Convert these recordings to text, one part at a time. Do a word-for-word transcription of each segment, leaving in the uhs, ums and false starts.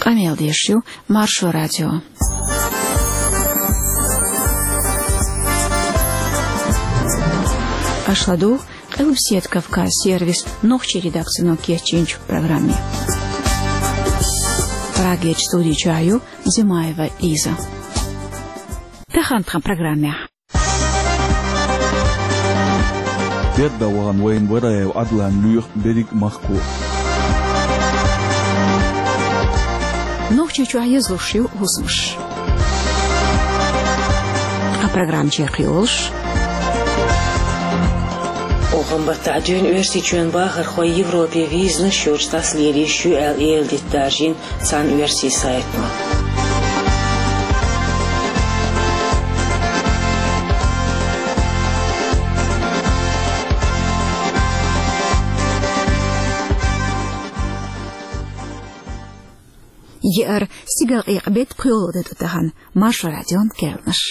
Къамел деш ю Маршо радио. Аша ладугӀу Къилбседа Кавказ сервисан нохчийн редакцино кечйинчу программе. Прагерчу студи чохь ю Зимаева Лиза. Тахана тхан программехь. Берда вахана вайна Вараев Ӏадлан лоьху берриг а махко. Нохчийчохь езлуш ю хӀусамаш. Ткъа программа чекхйолуш. Охан баттахь дуьйна Оьрсийчоьнан бахархой Европе визанаш йоцуш дӀасалелийш ю аьлла, эладита даржийна цхьана оьрсийн сайто. Еара, стигалкъекъа беттан пхоьалгӀа де ду тахана, Маршо радион керланаш.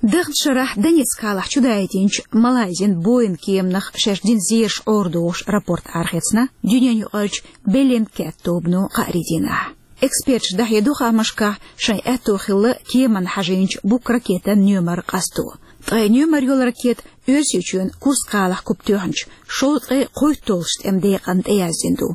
Даханчу шарахь Донецк кхалахь чудаийтинчу Малайзин Боинг кеманах шаьш дина зераш Ӏорадохуш рапорт арахецна дуьненаюкъарчу Беллингкэт тобано кхаарин дийнахь. Эксперташа дӀахьедо хаамашкахь, шайн аьтто хилла кеманна хьажийначу буккха ракетан номер къасто. Ткъе номер йолу ракета Оьрсийчоьнан Курск кхалахь куп тоьхначу шовзткъе кхойтталгӀачу тӀеман декъанна тӀеяздина ду.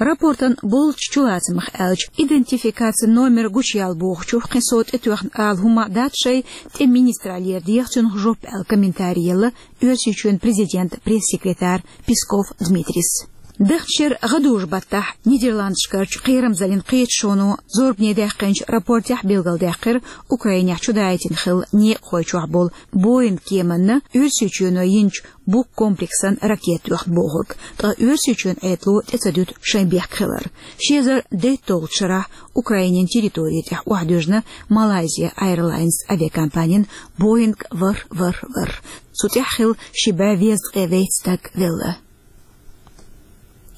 Рапортан болчу чулацамах аьлча, идентификацин номер гучуяла бохучух кхин сов тӀетоьхна ала хӀума дац шайн, тӀеман министраллера деха цунах жоп аьлла комментарий елла Оьрсийчоьнан президентан пресс-секретарь Песков Дмитрийс. Даханчу шеран гӀадужу баттахь Нидерландашкарчу кхерамзаллин кхеташоно зорбане даьккхинчу рапортехь билгалдаьккхира, Украинехь чудаийтина хилла некъахой чохь болу Боинг кеманна Оьрсийчоьно йинчу буккха комплексан ракета тоьхна бохург, ткъа Оьрсийчоьнан Ӏедало тӀе ца дуьту шайн бехк хилар. Ши эзар дейтталгӀачу шарахь Украинин территори тӀехь охьадуьжна Malaysia Airlines авиакомпанин Боинг ворхӀ ворхӀ ворхӀ. Цу тӀехь хилла ши бӀе везткъе вейтта стаг велла.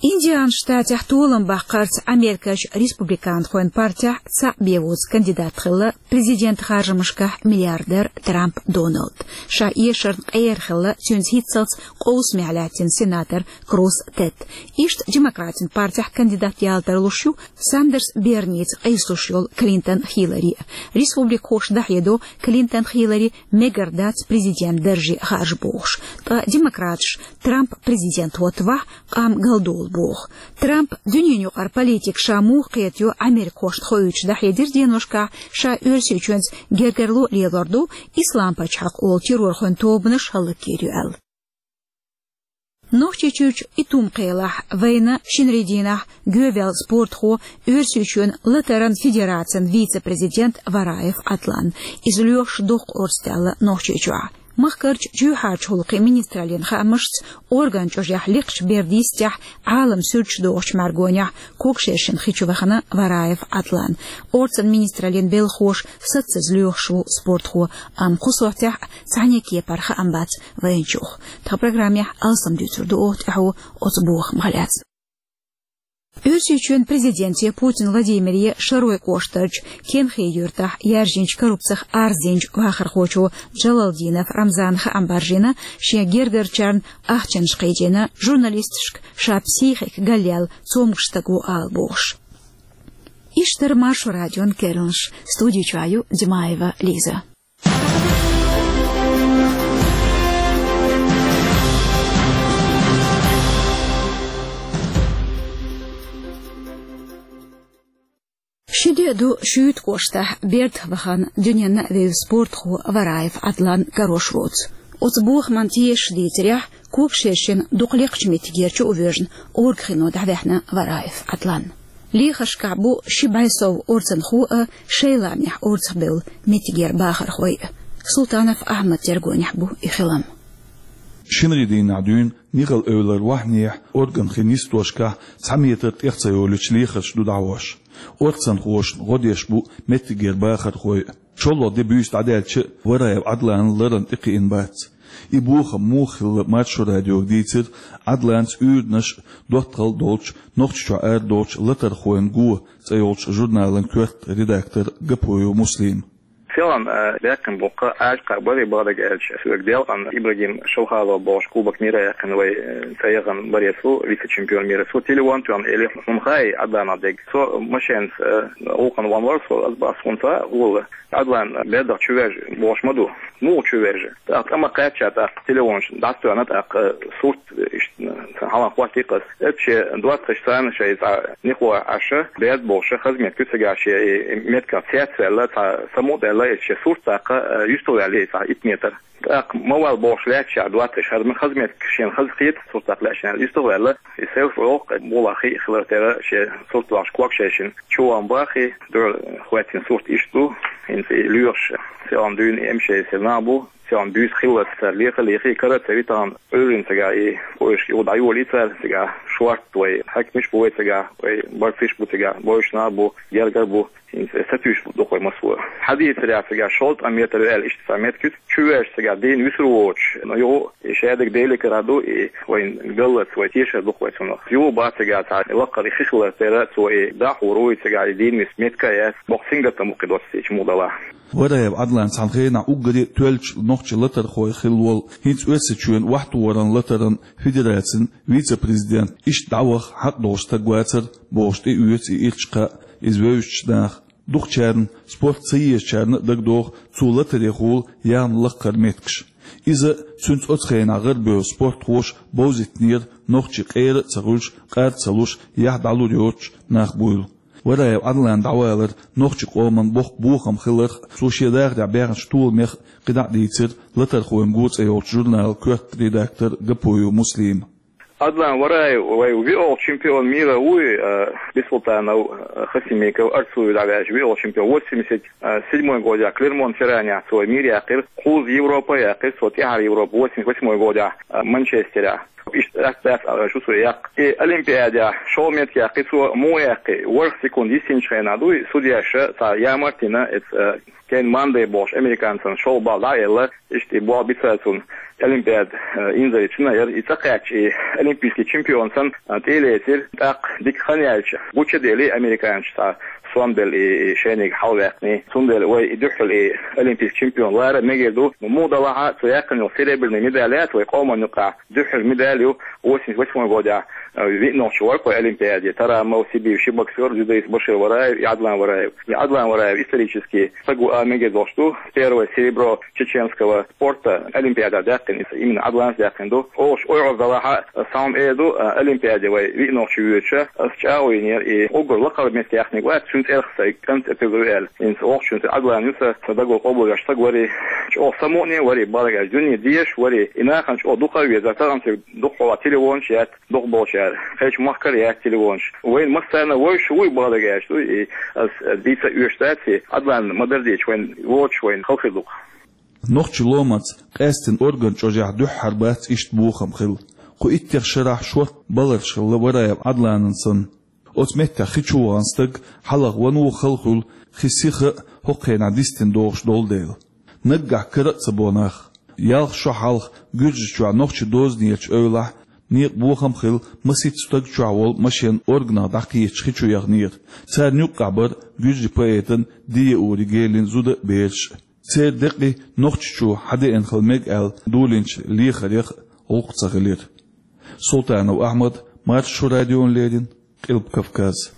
Индианан штатехь толам баккхарца Америкерчу республиканхойн партехь цхьаъ бен воцу кандидат хилла президентан харжамашкахь миллиардер Трамп Доналд. Ша эшарна къера хилла цуьнца хӀинццалц къовсамехь лаьттина сенатор Круз Тед. Иштта демократийн партехь кандидат яла тарлуш ю Сандерс Берница къийсалуш йолу Клинтон Хиллари. Республикхоша дӀахьедо Клинтон Хиллари мегар дац президентан дарже харжа бохуш. Ткъа демократаша Трамп президент хӀоттавахь, къам галдолу боху. Трамп дуьненаюкъара политика ша муха кхетайо америкахошна хоуьйтуш дӀахьедира деношкахь, ша Оьрсийчоьнца гергарло а лелор ду, Ислам пачхьалкх олу террорхойн тобанаш хӀаллакйийр ю аьлла. Нохчийчуьрчу Итум-Кхелахь вайна шинарин дийнахь гоьваьлла спортхо, Оьрсийчоьнан латаран федерацин вице-президент Вараев Ӏадлан. Иза лоьхуш доккха орца даьлла Нохчийчохь. Махкарчу чоьхьарчу гӀуллакхийн министраллин хаамашца, орган чӀожехь лекхачу бердан йистехь Ӏалам суьрташ дохучу мӀаьргонехь Когашершина хи чу вахана Вараев Ӏадлан. Орцан министраллин белхахоша саццаза лоьхуш ву спортхо, амма кху сохьтехь цхьаьннан кепара хаам бац вайначух. Тхан программехь алсам дуьйцур ду оха тӀаьхьо оцу бохамах лаьцна. Оьрсийчоьнан президенте Путин Владимире Шаройн кӀоштарчу Кенхи-Юьртахь яьржинчу коррупцих арз динчу вахархочо Джалалдинов Рамзана хаам баржийна, шен гергарчарна ахчанаш кхийдина журналисташка ша психика галъяьлла цомгуш стаг ву ала бохуш. Иштта дара Маршо радион керланаш, студи чохь ю Димаева Лиза. Ши де ду Шуьйта кӀоштахь бердах вахана дуьненна а вевза спортхо Вараев Ӏадлан карош воцу. Оцу бохаман тешаш дийцарехь, Когашершина дукха лекхачу меттигера чу а воьжна, Оргхино дӀаваьхьна Вараев Ӏадлан. Лехаршкахь бу ши бӀе сов орцанхо а, шайн лаамехь орцахбевлла меттигера бахархой а. Султанов Ахьмадан тергонехь бу и хилам. Шинарин дийнахь дуьйна Нихал-Эвлара вахьнехь, Орган-Хин йистошкахь цхьа метр тӀех ца йолуьйтуш лехарш ду дӀахьош. Орцанхошна гӀо деш бу меттигера бахархой а. ШолгӀа де буьйса дӀадаьлча а, Вараев Ӏадлан ларан тӀе кхиъна бац. И бохам муха хилла Маршо радиога дийцира Ӏадланца уьйранаш а, доттагӀалла а долчу, Нохчийчохь арадолучу «Латархойн го» цӀе йолчу журналан коьрта редактор Гапоев Муслима. Селхан, э, баьккхина бу-кх Ӏаьржа кхаъ барий, бакъдерг аьлча, соьга делкъан Ибрагим Шалхалов бохуш кубок мира яьккхина вай, э, цӀа яхана баре цо, вице-чемпион мира, цо телефон тоьхна элира: «Хьуна хаий Ӏадланах дерг?» Со машенаца, э, гӀулакхана вахана вар со, аз бах, хӀунда ца хаьа. Ӏадлан баьрдах чувержа бохуш ма ду. Муха чувержа? ТӀаккха тӀама кхаьчча, тӀаккха телефонаш дӀатоьхна, тӀаккха сурт иштта, цхьа хьалха хӀоттийра-кх аз. Эццахь шен доттагӀашца шайца цхьа никъ лой Ӏаш, баьрда бохуш, хаза меттиг ю цигахь шен, и меттигах цецваьлла, цхьа самукъадаьлла, эццахь шен сурт тӀаккха, э, юьстах ваьлла цхьа итт метр. ТӀаккха ма вала бохуш лаьтташ доттагӀаш, хӀара ма хаза меттиг, шена хаза хета сурт тӀаккха лаьтташ аьлла, юьстах ваьлла. И селфи оха, бакъ хи хилар тера шен сурт вахаш ког шайшина. Чуван бахий, дуьхьал хӀоьттина сурт иштта ду, хӀинца и лоьхуш, селхан дуьйна эмшей сел нах бу, селхан буьйса хилла цара лехаш а лехий, кара ца ви тахана Ӏуьйранна цигахь, и поиск юха дӀайолий цара цигахь, шортта вай хьаькамаш бу вай цигахь, вай борцаш бу цигахь, бойуш нах бу, гергара бу, хӀинца сатуьйсуш бу дукха вай массо. Хьадийцарехь цигахь шовзткъа метр ю аьлла, иштта цхьа меттиг ю, чувержа цигахь дийна вуьсур воцуш, ну, юха и шадерг Деле карахь ду, и вайн галлалц вай тешар ду-кх вай цунах. Юха бах цигахь цхьа лакхара хи хилар тера, цо и дӀахьур ву, и цигахь и дийна виса меттиг а яц, боккха сингаттам бу-кх и доццийча муха далахь. Вараев Ӏадлан цхьана хенахь уггаре тоьллачу нохчийн латархойх хилла волу, хӀинца Оьрсийчоьнан охьатохаран латаран федерацин вице-президент, иштта дӀаваха хьакъ долуш стаг вацара бохуш тӀеоьцу и ирча кхаъ, иза вевзачу наха. Дукхачарна, спорт ца езачарна а дагадогӀу цо латарехула яьхна лакхара меттигаш. Иза, цуьнца оцу хенахь гӀарабевлла спортхоша бовзийтинера нохчий къера а ца хуьлуш, къар а ца луш, яхь дӀалур йоцуш нах буйла. Вараев Ӏадлан дӀавалар нохчийн къоман боккха бохам хиларх, цо шен дахарехь баьхначу толамех кхидӀа а дийцира «Латархойн го» цӀе йолчу журналан коьрта редактор Гапоев Муслима. Ӏадлан Вараев вай виъолгӀа чемпион мира вуй, э, Бисултанов, э, Хасимиков, Арцуев дӀаваьлча виъолгӀа чемпион, восемьдесят седьмой годехь Клермон-Ферранехь цо мир яьккхира, кхузза Европа яьккхира цо, тӀаьхьара Европа восемьдесят восьмой годехь, э, Манчестерехь. Иштта дац, дац аьлла шу цо яккха. И Олимпиадехь шолгӀа меттиг яьккхи цо, муха яьккхи, ворхӀ секунд йисинчу хенахь дуй, судьяша цхьа ямарт йина, эца, э, Кен Мандей бохуш американцан шолгӀа балл дӀа а елла, иштта и болх бицара цунна Олимпиада, э, инзаре чу яра. И цӀа кхаьчча, и олимпийский чемпион санна, э, тӀе а лецира. ТӀаккха дика хан яьлча, гуча а делира американцаша цхьа сом белла и, и шайниг хьалаваьккхина. Цундела вай и дуьххьал и олимпийский чемпион лара мегар ду. Муха далахь а, цо яьккхина йолу серебряный медаль яц вай къоман юкъахь дуьххьара медаль ю, восемьдесят восьмой годехь, э, виъ нохчи вара-кх вай Олимпиаде, Тарамов, Сибиев ши боксёр, дзюдоист Башир Вараев и Ӏадлан Вараев. И Ӏадлан Вараев исторически стаг ву ала мегар долуш ду, первое серебро чеченского спорта Олимпиадехь даьккхина, именно Ӏадланца даьккхина ду. Оха ойхьур далахь а, сан эр ду, э, Олимпиаде вай виъ нохчи воьдуш, аса чӀагӀо йинера, и уггар лакхара меттиг яьхнарг вац, цуьнан цӀерах сан кӀант тӀе тевр ву аьлла. ХӀинца оха цуьнан цӀе Ӏадлан ю сан, сан дагалла къобалвеш стаг варий, чӀогӀа самукъане варий, бакъдерг аьлча, дуьне дезаш варий, и нахана чӀогӀа дукха а везара, тахана цига дукхахьолахь телефонаш яц, дукхахболчара, кхечу махкара яц телефонаш. Вайна массарна вевзаш вуй, бакъдерг аьлча, дуй, и ас дийца а оьшуш дац, и Ӏадлан ма-дарра дийцича, вайна воцуш вайна хала хир ду-кх. Нохчийн ломанца къаьсттина орган чӀожехь дуьххьара бац иштта бохам хилла. Кху иттех шарахь шортта баларш хилла Вараев Ӏадланан санна. Оцу меттехь хи чу вахана стаг хьалха ван ву хала хуьлу, хи сиха а хӀокху хенахь дистина догӀуш долу дела. Наггахь кара а ца бо нах. Ялх шо хьалха Гуьржийчохь нохчийн дозанечу эвлахь некъа бохам а хилла, масийтта стаг чохь волу машен органах дӀакхеташ хи чу яханера. Царна юккъехь бара гуьржийн поэтан Диеури Гелин зуда а, бераш а. Церан декъий Нохчийчу хьадеана хила мега аьлла долийначу лехарех а гӀуллакх ца хилира. Султанов Ахьмад, Маршо радиона леррина, Къилба Кавказ.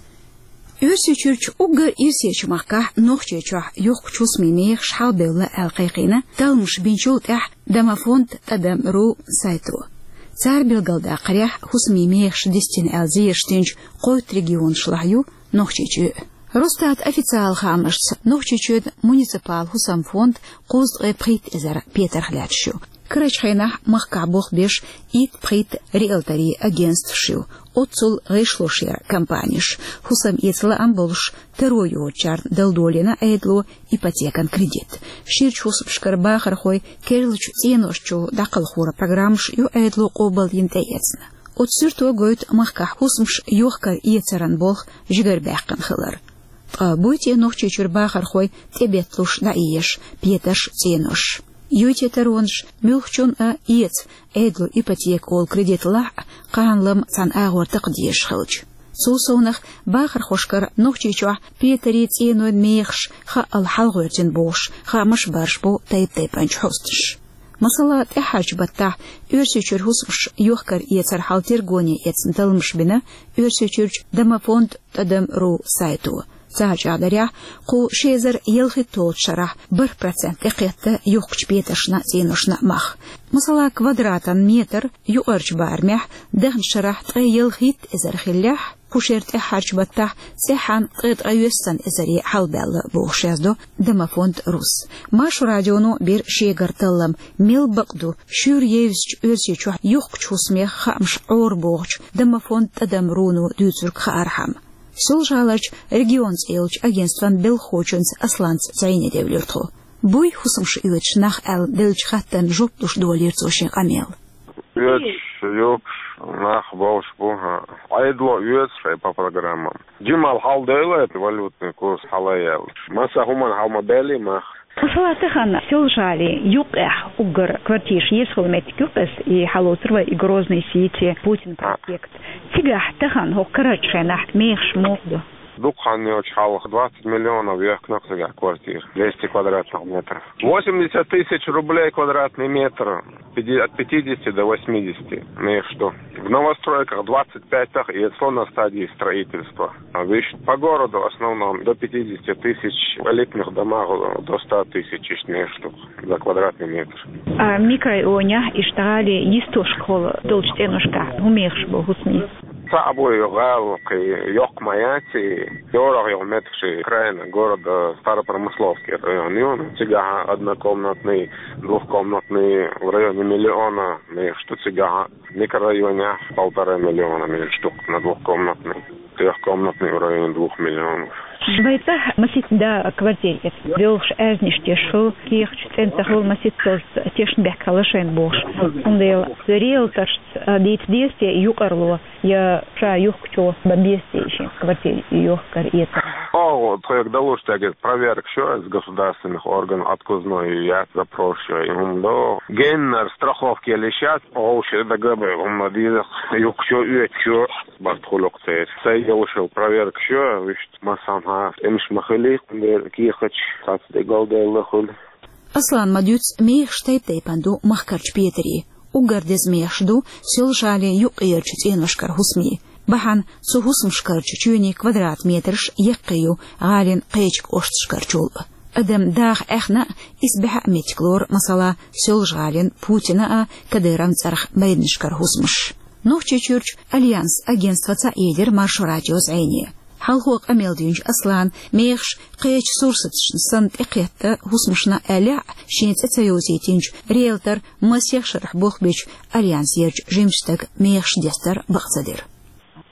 Оьрсийчуьрчу уггар ирсечу махкахь, Нохчийчохь, юхкучу хӀусамийн мехаш хьалабевлла аьлла кхайкхийна талламаш бинчул тӀаьхьа домофонд тӀадам ру сайто. Цара билгалдаккхарехь, хӀусамийн мехаш дистина аьлла зераш динчу кхойтта регионашлахь ю Нохчийчоь а. Росстатан официалан хаамашца, Нохчийчоьнан муниципалан хӀусамийн фонд кхузткъе пхийтта эзар петарх лаьтташ ю. Карарчу хенахь махкахь болх беш итт пхийтта риэлторийн агентстваш ю, оццул гӀишлош яра компанеш, хӀусам эца лаам болуш, таро йоцучарна дала долийна Ӏедало ипотекан кредит. Ширачу хӀусамашкара бахархой керлачу цӀеношчул дӀакхалхоран программаш ю Ӏедало къобалйина, тӀеэцна. Оцу суьрто гойту махкахь хӀусамаш йохкар эцаран болх жигарабаьккхина хилар. Ткъа буй те Нохчийчуьра бахархой тӀебетталуш дӀаэцаш петарш, цӀенош? Юй те таронаш, муьлххачунна а эца Ӏедало ипотека олу кредит лахь а, кхана-лама цхьана агӀор такха дезаш хилча? Цул совнагӀа бахархошкара Нохчийчохь петари цӀенойн мехаш хаъал хьалгӀоьртина бохуш, хаамаш барш бу тайп-тайпанчу хьосташа. Масала, тӀаьххьарчу баттахь Оьрсийчуьра хӀусамаш йохкар-эцар хьал тергоне эцна талламаш бина Оьрсийчуьрчу Домофонд тӀадам ру сайто. Цхьа чӀагӀдарехь, кху ши эзар ялхитталгӀачу шарахь бархӀ процент тӀекхетта юхкучу петаршна а, цӀеношна а мах. Масала, квадратан метр юкъарчу барамехь дахначу шарахь ткъе ялхитта эзар хиллехь, кху шеран тӀаьххьарчу баттахь цӀеххьана ткъе ткъайоьссан эзаре хьалабаьлла бохуш яздо Домофонд рус. Маршо радионо бира шегара таллам, мел бакъ ду шуьйра евзачу Оьрсийчохь юхкучу хӀусамех хаамаш Ӏора бохучу Домофонд тӀадам руно дуьйцург хаархьама. Соьлжа-ГӀаларчу регион цӀе йолчу агентстван белхахочуьнца Асланца зӀене девлира тхо. Буй хӀусамаш оьцуш нах аьлла деллачу хаттарна жоп луш долийра цо шен къамел. Оьцуш, юхкуш нах болуш бу, хӀа. Ӏедало оьцу шайн по программам. Жимма хьалдойла валютный курс хьала яьлла. Масса хӀуманна хьал ма баьллий мах. Масала, тахана Соьлжа-ГӀалин юккъехь уггар квартираш езахула меттиг ю-кх иза, и хьалоцур вай и Грозный Сити, Путин проспект. Цигахь тахана хӀокху карарчу хенахь мехаш муха ду? Дукха хан йоцуш хьалха двадцать миллионов йоьхкина-кх цигахь квартира, двести квадратных метров. Восемьдесят тысяч рублей квадратный метр, пяти-, от пятидесяти до восьмидесяти мехаш ду. В новостройках двадцать пять-х эцало на стадии строительства. А вуьш по городу в основном до пятидесяти тысяч, в элитных домах до ста тысяч иштта мехаш ду за квадратный метр. А микрорайонехь, иштта гӀалин йистошкахула долчу цӀеношкахь хӀун мехаш бу хӀусамийн? Цхьаъ бу и гӀала, кхин йоккха ма яц и, дорагӀа йолу меттигаш, окраина города, старопромысловский район ю, цигахь однокомнатный, двухкомнатный в районе миллиона мехаш ду цигахь. Микрорайонехь полтора миллиона мехаш ду на двухкомнатный, трёхкомнатный в районе двух миллионов. Вай цӀахь масийтта да квартира эцна, доьлхуш аьзнаш тешаш хуьлу, кехаташ цӀена ца хуьлу, масийтта цо тешна бехк хилла шайна бохуш. Цундела риэлторшца дийца деза те юкъарло, я ша юхкучо бан беза те шен квартира йохкар-эцар? О, тхоьга далуш дерг, проверкаш ю иза государственных органов, отказной яц, запрос ю, и хӀума до. Геннара страховка елла йиш яц, вовшах дагабевлла хӀума дийза, юхкучо, оьцучо барт хуьлу-кх церан. Сайн йолуш йолу проверкаш ю, вуьшта массанхьа тӀемаш ма хили, кхин дера кехаташ цхьацца дегал делла хуьлу. Аслана ма-дуьйццу, мехаш тайп-тайпана ду махкарчу петаре. Уггар деза мехаш ду Соьлжа-ГӀалин юккъерчу цӀеношкара хӀусамийн. Бахьана цу хӀусамашкарчу чоьнийн квадрат метраш яккхий ю гӀалин кхечу кӀошташкарчул а. Адам даха Ӏехна а, исбаьхьа а меттиг лору, масала, Соьлжа-ГӀалин Путина а, Кадыровн цӀарах майданашкара хӀусамаш. Нохчийчуьрчу Альянс агентстваца а елира Маршо радион зӀене. Хьалхо къамел динчу Аслана мехаш кхечу сурсаташна санна тӀекхетта хӀусамашна аьллехь а, шен цӀе ца йовзийтинчу риэлтор масех шарахь болх бечу Альянсерчу жимачу стага мехаш дестар бакъ ца дира.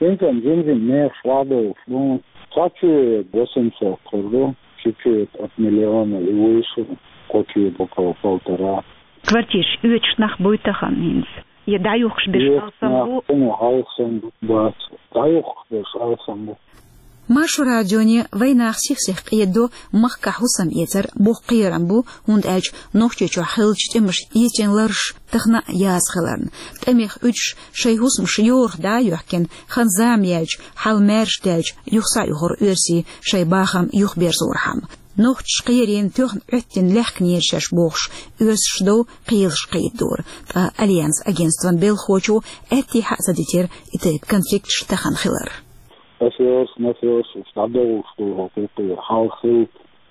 ХӀинца жим-жима мехаш вахьадовлуш ду. Цхьа чоь восемьсот хуьлу, чуть-чуть от миллиона и выше, квартира около полтора. Квартираш оьцуш нах буй тахана хӀинца? Я дӀаюхкуш берш алсам бу? Хьуна алсам бу, бац. ДӀаюхкуш берш алсам бу. Маршо радионе вайн нах сих-сиха къеддо махкахь хӀусам эцар боккха кхерам бу, хӀунда аьлча Нохчийчохь хиллачу тӀемаша эцийна ларш тахана а яза хиларна. ТӀемех уьдуш шайн хӀусамаш йорах дӀа а йоьхкина, хан-зама яьлча, хьал маьрша даьлча, юха схьаюхура оьрсий шайн бахам юхаберзорхьама. Нохчаша кхерийна тоьхна Ӏоьттина лаьхкинера шаьш бохуш, оьрсаша дов кхелаш кхийдора, ткъа Альянс агентстван белхахочо аьттехьа а ца дитира и тайпа конфликташ тахана хилар. Афераш, мафераш, уьш дӀадовлуш ду хӀокху юкъе, хьалха хилла,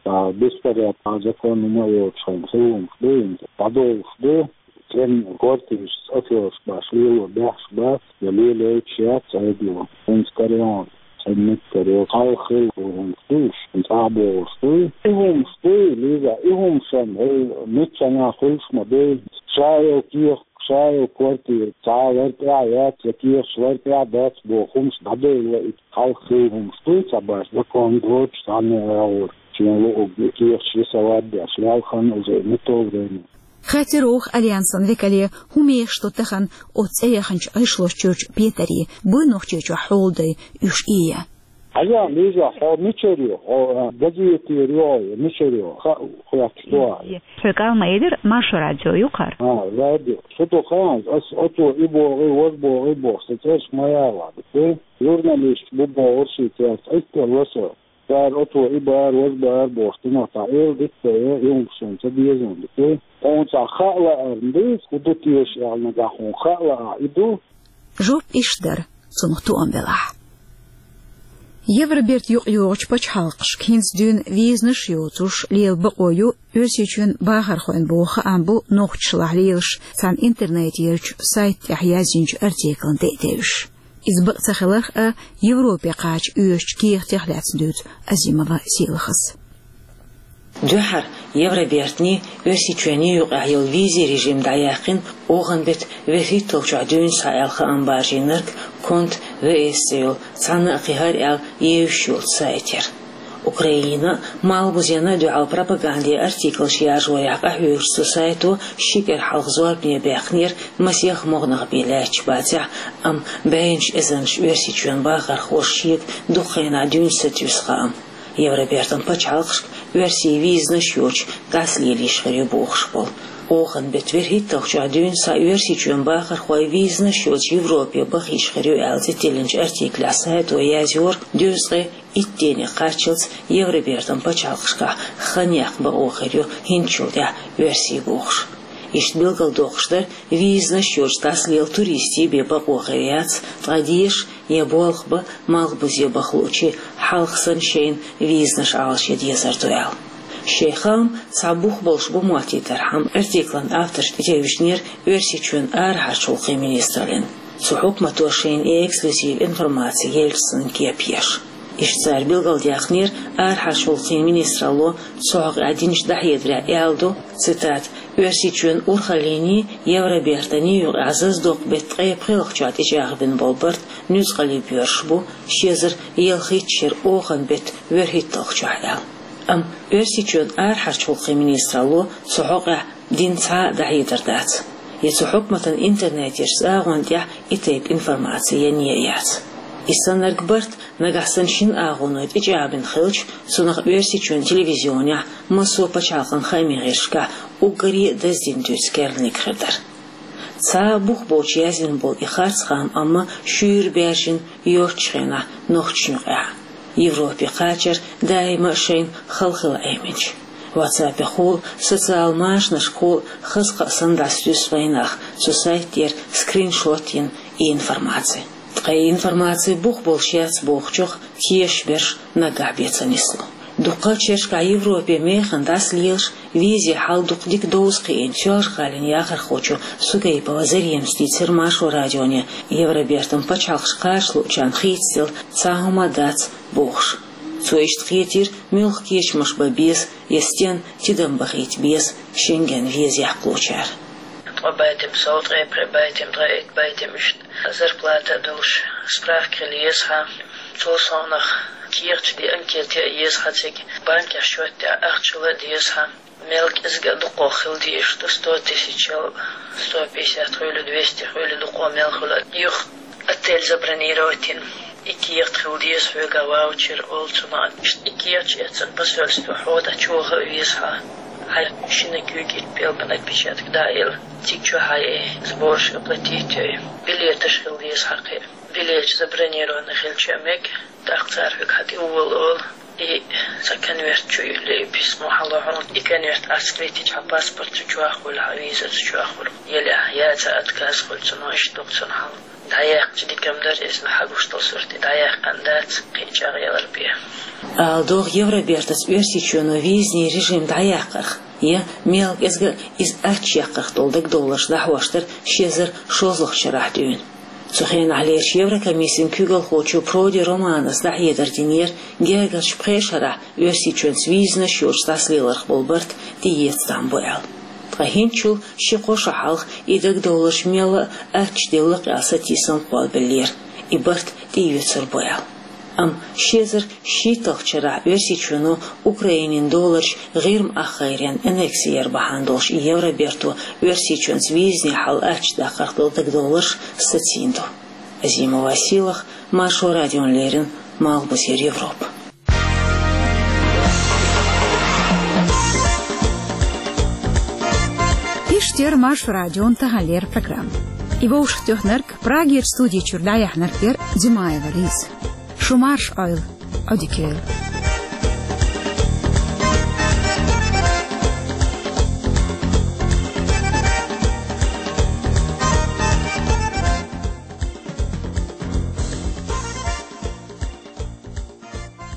а, беспорядок, а, закон хӀума а йоцуш хилла хӀумаш ду хӀинца, дӀадовлуш ду. ЦӀена квартираш, афераш баш лело баьхьаш бац, я лелойтуш яц Ӏедало. ХӀинца карайон цӀена меттиг карайо, хьалха хилла хӀумаш ду уьш, хӀинца а бохуш ду. И хӀумаш ду, Лиза, и хӀумаш-м, хӀей, миччанхьа хуьлуш ма ду. Ша йолу кехат, ша йолу квартира цхьа а лар тӀехь а яц, я кехаташ лар тӀехь а дац боху хӀумаш дӀадевлла и хьалха хилла хӀумаш ду, цхьа баш закон доцуш, цхьанне а агӀор шен луург кехаташ рисовать деш, ял хан уже не то время. Хаттар йоху Альянсан векале, хӀун мехаш ду тахана оцу цӀе яханчу гӀишлош чуьрчу петарийн, буй Нохчийчохь хьолдай уьш ийя. Хьажа, Лиза, хьо мичара ю? Хьо газетера ю, хьо мичара ю? Ха-, хьоьтташ ду хьа. Хьоьга ма элира, Маршо радио ю хӀара. А, радио. Шу ду хаьа, ас оцо и боху, и воза боху, и боху, сан цӀераш ма яла, дика. Журналист бу бохура ший цӀерца, итталла со. Цара оцо и бара, воза бара бохуш, динах цхьа эр дика я, юхашна ца безам, дика. Хьуна цхьа хаа лаарна дуьйцу, хӀун ду теша аьлла, нагахь хьуна хаа лаахь, и ду. Жоп иштта дара, цунах тоам белахь. Евроберта юкъайогӀучу пачхьалкхашка хӀинца дуьйна визанаш а йоцуш лела бакъо ю Оьрсийчоьнан бахархойн боху хаам бу нохчашлахь лелаш цхьана интернетерчу сайта тӀехь язйинчу артиклан тӀе а тевжаш. Иза бакъ ца хиларх а, Европе кхача оьшучу кехатех лаьцна дуьйцу Азимова Сийлахьас. Дуьххьара Евробертанний Оьрсийчоьнний юкъахь йолу визин режим дӀаяьккхина, охан беттан вуьрхӀитталгӀачохь дуьйна схьа аьлла хаам баржийнарг Конт В С цӀе йолу цхьанна а кхин хӀара аьлла евзаш йолчу сайта яра. Украинина а, Малхбузена а дуьхьал пропагандин артиклаш яржорехь къахьоьгучу цу сайто ши кӀира хьалха зорбане баьккхинера масех могӀа нах бен лаьтташ бацахь, амма бӀеннаш эзарнаш Оьрсийчоьнан бахархоша шега дукха хенахь дуьйна сатуьйсу хаам. Евробертан пачхьалкхашка оьрсийн визанаш йоцуш дӀасалелийша хир ю бохуш болу. Охан беттан вуьрхӀитталгӀачохь дуьйна схьа Оьрсийчоьнан бахархой визанаш йоцуш Европе бахийша хир ю аьлла цӀе тиллинчу артиклехь сайто язйора дезткъе итт ден кхаччалц Евробертан пачхьалкхашкахь хан яккха бакъо хир ю хӀинцачул тӀаьхьа оьрсийн бохуш. Иштта билгалдоккхуш дара визанаш йоцуш дӀасалела туристийн бен бакъо хир яц, ткъа деша я болх бан, Малхбузе баха луучийн хьалха санна шайна визанаш Ӏалашъян дезар ду аьлла. Шайн хаам цхьа бух болуш бу моттийтархьама, артиклан авторш тӀетевжинера Оьрсийчоьнан арахьарчу гӀуллакхийн министраллина. Цу хьукмато шайна и эксклюзив информаци елча санна кеп еш. Иштта цара билгалдаьккхинера, арахьарчу гӀуллакхийн министралло цу хьокъехь динчу дӀахьедарехь аьлла ду, цитата: «Оьрсийчоьнан урхаллиний, Евробертанний юкъахь зазадоккху беттан ткъе пхеалгӀачохь тӀечӀагӀбина болу барт нуьцкъала боьрзуш бу, ши эзар ялхитта шеран охан беттан вуьрхӀитталгӀачохь», аьлла. Амма Оьрсийчоьнан арахьарчу гӀуллакхийн министралло цу хьокъехь дина цхьа а дӀахьедар дац. Я цу хьукматан интернетерчу агӀонна тӀехь и тайпа информаци ян а яц. И саннарг барт нагахь санна шина агӀоной тӀечӀагӀбина хилча, цунах Оьрсийчоьнан телевизионехь, массо а пачхьалкхан хаамийн гӀирсашкахь уггаре а даздина дуьйцу керланиг хир дара. Цхьа а бух боцуш яздина болу и харц хаам амма шуьйра баьржина йоцучу хенахь нохчашна юкъахь, Европе кхачар даима а шайна хала хила Ӏеминчу. WhatsApp-ехула, социал машанашкахула хаза кхаъ санна дӀасатуьйсу вайнах цу сайта тӀера скриншот йина и информаци. Ткъа и информаци бух болуш яц бохучух тешаш берш наггахь бен ца нисло. Дуккхачу шерашкахь Европе механа дӀасалелаш визин хьал дукха дика довза кхиийна Соьлжа-ГӀалин яхархочо Сугайпова Заремас дийцира Маршо радионе, Евробертан пачхьалкхаш кхача луучарна хийцаделла цхьа хӀума а дац бохуш. Цо иштта кхетийра, муьлха кечамаш бан беза я стенна тидам бахийта беза Шенген виза яккхалучара. Ткъа байтам сов, ткъе пхи байтам, ткъе итт байтам, иштта зарплата а долуш справка хила еза хьан. Цул совнах кехаташ де анкета а еза хьан цига, банкехь счёт тӀехь ахча хила а деза хьан. Мел кӀезиг а дукха хила дезаш ду, сто тысячал, сто пятьдесят хуьлу, двести хуьлу, дукха мел хуьлу. Юха отель забронировать йина, и кехат хила деза хьоьга, ваучер олу цунах. Иштта и кехаташ эцна посольство хьо дӀачуха а веза хьан. Хьайн шина куьйга итт пӀелган отпечаток дӀа а елла, цига чохь хьайн сбораш оплатить йой. Билеташ хила деза хьан кхин. Билеташ забронированы хилча а мега, тӀаккха цара хьоьга хьан тӀе волу олу. И цхьа конверт чу юьллий, и письмо хьан ло хьуна. И конверт Ӏаскритича хьан паспорт цу чохь хуьлу, хьан виза цу чохь хуьлу. Елехь яца отказ хуьлу цунах, иштта ду-кх цунах хьан. ДӀаяьккхича дика-м дара, иза хьан гуш долу сурт и дӀаяьккхина дац, кхин чӀагӀъялар бен. Ала догӀу, Евробертаца Оьрсийчоьно визин режим дӀаяьккхарх я мел кӀезиг а иза аьчча яккхарх долу дагадовларш дӀахьош дара ши эзар шолгӀачу шарахь дуьйна. Цу хенахь лерчу Еврокомиссин куьйгалхочо Проди Романас дӀахьедар динера, гергарчу пхеа шарахь Оьрсийчоьнца визанаш йоцуш дӀасалеларх болу барт тӀеэца там бу аьлла. Ткъа хӀинцачул ши-кхо шо хьалха и дагадовларш мелла а аьчча делла-кх аьлла сатийсам кхоллабеллера, и барт тӀеоьцур бу аьлла. Амма ши эзар шийтталгӀачу шарахь Оьрсийчоьно Украинин доларш ГӀирма ахгӀайрен аннекси яр бахьана долуш и Евроберто Оьрсийчоьнца визанийн хьал аьчча даккхарх долу дагадовларш сацийна ду. Азимова Сийлахь, Маршо радиона леррина, Малхбузера Европа. Иштта яр Маршо радион таханлера программа. И вовшахтоьхнарг, Прагера студи чуьра дӀаяьхьнарг яр Димаева Лиза. Шу марша Ӏойла, Ӏодика йойла.